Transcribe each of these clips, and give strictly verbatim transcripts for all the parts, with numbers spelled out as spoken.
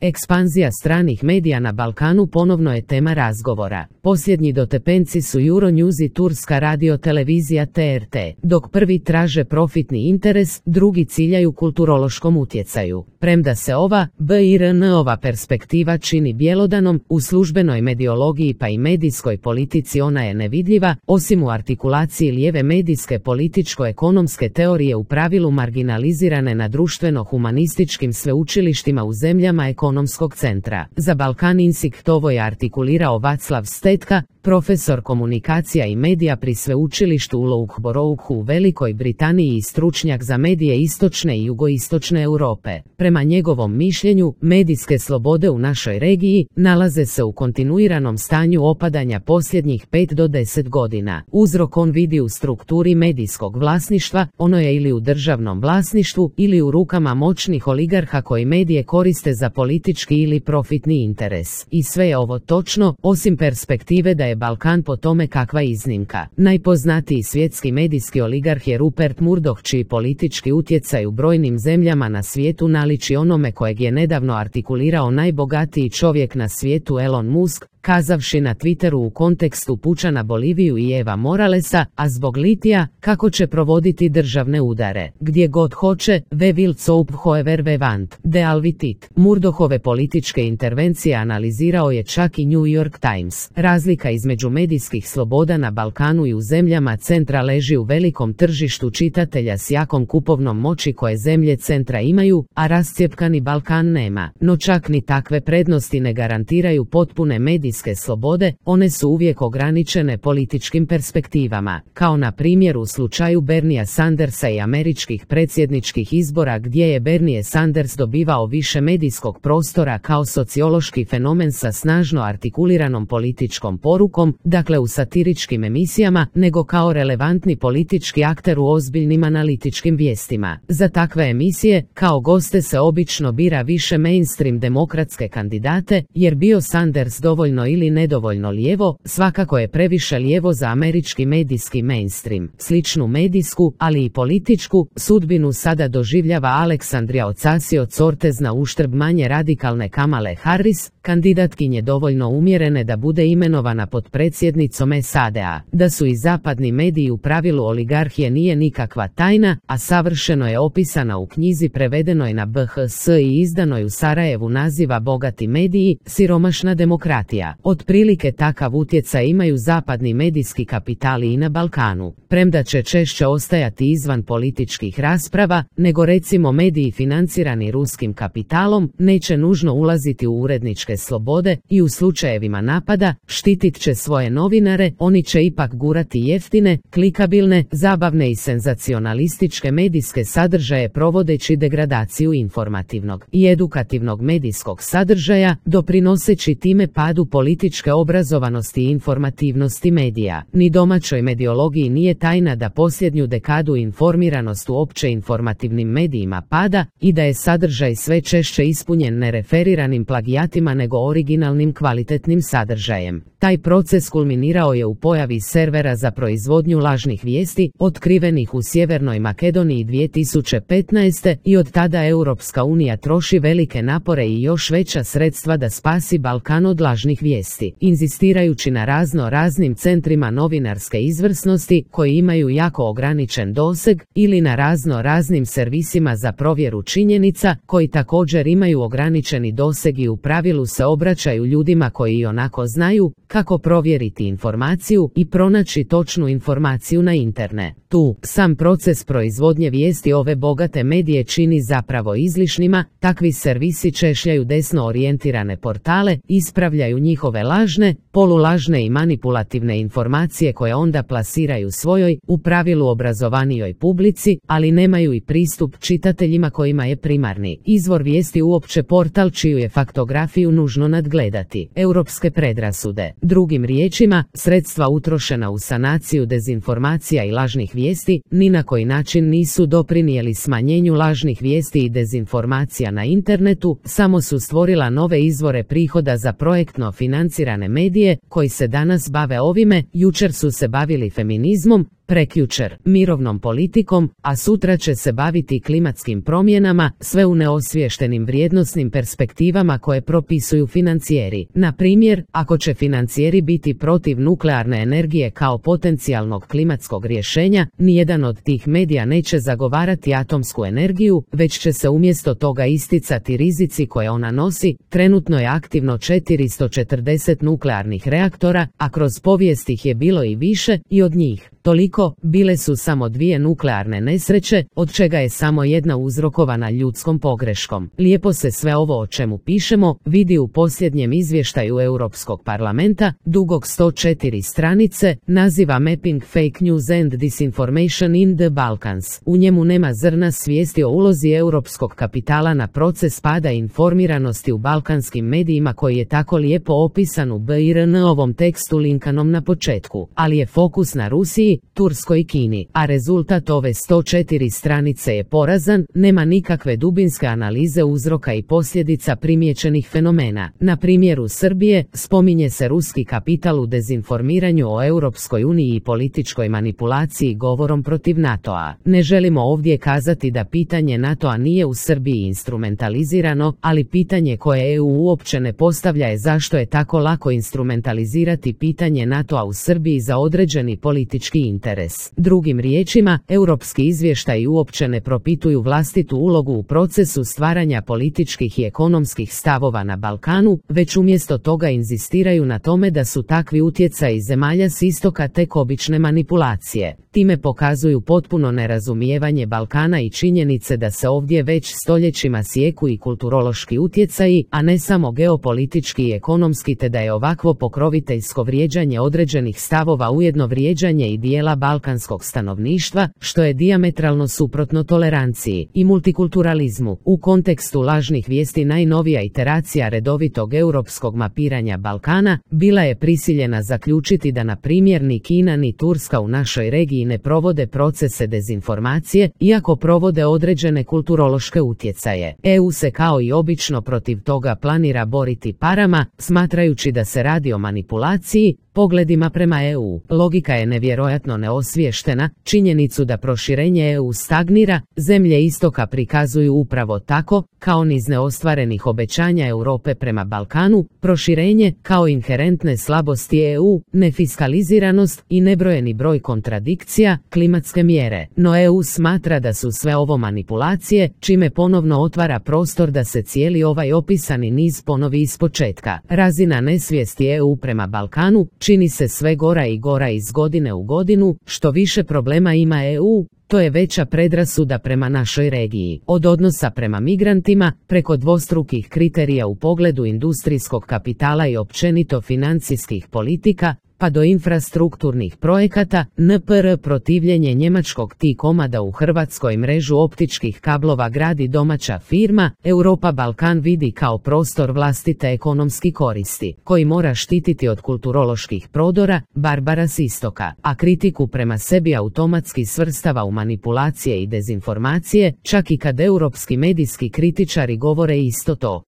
Ekspanzija stranih medija na Balkanu ponovno je tema razgovora. Posljednji dotepenci su Euronews i turska radiotelevizija T R T, dok prvi traže profitni interes, drugi ciljaju kulturološkom utjecaju. Premda se ova B I R N-ova perspektiva čini bjelodanom, u službenoj mediologiji pa i medijskoj politici ona je nevidljiva, osim u artikulaciji lijeve medijske političko-ekonomske teorije u pravilu marginalizirane na društveno-humanističkim sveučilištima u zemljama ekonomskog centra. Za Balkan Insight ovo je artikulirao Vaclav Stetka, profesor komunikacija i medija pri sveučilištu u Loughboroughu u Velikoj Britaniji i stručnjak za medije istočne i jugoistočne Europe. Prema njegovom mišljenju, medijske slobode u našoj regiji nalaze se u kontinuiranom stanju opadanja posljednjih pet do deset godina. Uzrok on vidi u strukturi medijskog vlasništva, ono je ili u državnom vlasništvu ili u rukama moćnih oligarha koji medije koriste za politički ili profitni interes. I sve je ovo točno, osim perspektive da je Balkan po tome kakva iznimka. Najpoznatiji svjetski medijski oligarh je Rupert Murdoch, čiji politički utjecaj u brojnim zemljama na svijetu naliči onome kojeg je nedavno artikulirao najbogatiji čovjek na svijetu Elon Musk, kazavši na Twitteru u kontekstu puča na Boliviju i Eva Moralesa, a zbog litija, kako će provoditi državne udare. Gdje god hoće, we will soup however we want, de alvitit. Murdochove političke intervencije analizirao je čak i New York Times. Razlika između medijskih sloboda na Balkanu i u zemljama centra leži u velikom tržištu čitatelja s jakom kupovnom moći koje zemlje centra imaju, a rascjepkani Balkan nema. No čak ni takve prednosti ne garantiraju potpune medijske slobode, one su uvijek ograničene političkim perspektivama, kao na primjer u slučaju Berniea Sandersa i američkih predsjedničkih izbora gdje je Bernie Sanders dobivao više medijskog prostora kao sociološki fenomen sa snažno artikuliranom političkom porukom, dakle u satiričkim emisijama, nego kao relevantni politički akter u ozbiljnim analitičkim vijestima. Za takve emisije, kao goste se obično bira više mainstream demokratske kandidate, jer bio Sanders dovoljno ili nedovoljno lijevo, svakako je previše lijevo za američki medijski mainstream. Sličnu medijsku, ali i političku, sudbinu sada doživljava Aleksandria Ocasio-Cortez na uštrb manje radikalne Kamale Harris, kandidatkinje dovoljno umjerene da bude imenovana potpredsjednicom S A D-a. Da su i zapadni mediji u pravilu oligarhije nije nikakva tajna, a savršeno je opisana u knjizi prevedenoj na B H S i izdanoj u Sarajevu naziva Bogati mediji, siromašna demokratija. Otprilike takav utjecaj imaju zapadni medijski kapitali i na Balkanu. Premda će češće ostajati izvan političkih rasprava, nego recimo mediji financirani ruskim kapitalom, neće nužno ulaziti u uredničke slobode i u slučajevima napada, štitit će svoje novinare, oni će ipak gurati jeftine, klikabilne, zabavne i senzacionalističke medijske sadržaje provodeći degradaciju informativnog i edukativnog medijskog sadržaja, doprinoseći time padu političke obrazovanosti i informativnosti medija. Ni domaćoj mediologiji nije tajna da posljednju dekadu informiranost u opće informativnim medijima pada i da je sadržaj sve češće ispunjen ne referiranim plagijatima nego originalnim kvalitetnim sadržajem. Taj proces kulminirao je u pojavi servera za proizvodnju lažnih vijesti, otkrivenih u Sjevernoj Makedoniji dvije tisuće petnaeste i od tada Europska unija troši velike napore i još veća sredstva da spasi Balkan od lažnih vijesti, inzistirajući na razno raznim centrima novinarske izvrsnosti koji imaju jako ograničen doseg ili na razno raznim servisima za provjeru činjenica koji također imaju ograničeni doseg i u pravilu se obraćaju ljudima koji i onako znaju kako provjeriti informaciju i pronaći točnu informaciju na internetu. Sam proces proizvodnje vijesti ove bogate medije čini zapravo izlišnima, takvi servisi češljaju desno orijentirane portale, ispravljaju njihove lažne, polulažne i manipulativne informacije koje onda plasiraju svojoj, u pravilu obrazovanijoj publici, ali nemaju i pristup čitateljima kojima je primarni izvor vijesti uopće portal čiju je faktografiju nužno nadgledati. Europske predrasude. Drugim riječima, sredstva utrošena u sanaciju dezinformacija i lažnih vijesti ni na koji način nisu doprinijeli smanjenju lažnih vijesti i dezinformacija na internetu, samo su stvorila nove izvore prihoda za projektno financirane medije koji se danas bave ovime, jučer su se bavili feminizmom, prekjučer mirovnom politikom, a sutra će se baviti klimatskim promjenama, sve u neosviještenim vrijednosnim perspektivama koje propisuju financijeri. Na primjer, ako će financijeri biti protiv nuklearne energije kao potencijalnog klimatskog rješenja, nijedan od tih medija neće zagovarati atomsku energiju, već će se umjesto toga isticati rizici koje ona nosi. Trenutno je aktivno četiristo četrdeset nuklearnih reaktora, a kroz povijest ih je bilo i više, i od njih toliko bile su samo dvije nuklearne nesreće, od čega je samo jedna uzrokovana ljudskom pogreškom. Lijepo se sve ovo o čemu pišemo vidi u posljednjem izvještaju Europskog parlamenta, dugog sto četiri stranice, naziva Mapping Fake News and Disinformation in the Balkans. U njemu nema zrna svijesti o ulozi europskog kapitala na proces pada informiranosti u balkanskim medijima koji je tako lijepo opisan u B I R N-ovom tekstu linkanom na početku, ali je fokus na Rusiji, Turskoj i Kini, a rezultat ove sto četiri stranice je porazan, nema nikakve dubinske analize uzroka i posljedica primijećenih fenomena. Na primjeru Srbije, spominje se ruski kapital u dezinformiranju o Europskoj uniji i političkoj manipulaciji govorom protiv NATO-a. Ne želimo ovdje kazati da pitanje NATO-a nije u Srbiji instrumentalizirano, ali pitanje koje E U uopće ne postavlja je zašto je tako lako instrumentalizirati pitanje NATO-a u Srbiji za određeni politički interes. Drugim riječima, europski izvještaji uopće ne propituju vlastitu ulogu u procesu stvaranja političkih i ekonomskih stavova na Balkanu, već umjesto toga inzistiraju na tome da su takvi utjecaji zemalja s istoka tek obične manipulacije. Time pokazuju potpuno nerazumijevanje Balkana i činjenice da se ovdje već stoljećima sijeku i kulturološki utjecaji, a ne samo geopolitički i ekonomski, te da je ovakvo pokroviteljsko vrijeđanje određenih stavova ujedno vrijeđanje i dijela balkanskog stanovništva, što je dijametralno suprotno toleranciji i multikulturalizmu. U kontekstu lažnih vijesti najnovija iteracija redovitog europskog mapiranja Balkana bila je prisiljena zaključiti da na primjer ni Kina ni Turska u našoj regiji ne provode procese dezinformacije, iako provode određene kulturološke utjecaje. E U se kao i obično protiv toga planira boriti parama, smatrajući da se radi o manipulaciji pogledima prema E U. Logika je nevjerojatno neosviještena, činjenicu da proširenje E U stagnira, zemlje istoka prikazuju upravo tako, kao niz neostvarenih obećanja Europe prema Balkanu, proširenje kao inherentne slabosti E U, nefiskaliziranost i nebrojeni broj kontradikcija, klimatske mjere. No E U smatra da su sve ovo manipulacije, čime ponovno otvara prostor da se cijeli ovaj opisani niz ponovi ispočetka. Razina nesvijesti E U prema Balkanu čini se sve gora i gora iz godine u godinu, što više problema ima E U, to je veća predrasuda prema našoj regiji. Od odnosa prema migrantima, preko dvostrukih kriterija u pogledu industrijskog kapitala i općenito financijskih politika, pa do infrastrukturnih projekata, N P R protivljenje njemačkog T-Coma da u Hrvatskoj mrežu optičkih kablova gradi domaća firma, Europa Balkan vidi kao prostor vlastite ekonomski koristi, koji mora štititi od kulturoloških prodora, barbara s istoka, a kritiku prema sebi automatski svrstava u manipulacije i dezinformacije, čak i kad europski medijski kritičari govore isto to.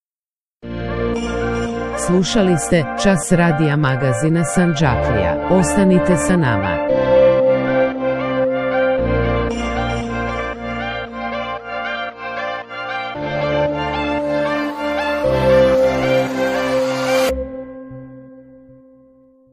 Slušali ste Čas radija magazina Sandžaklija. Ostanite sa nama.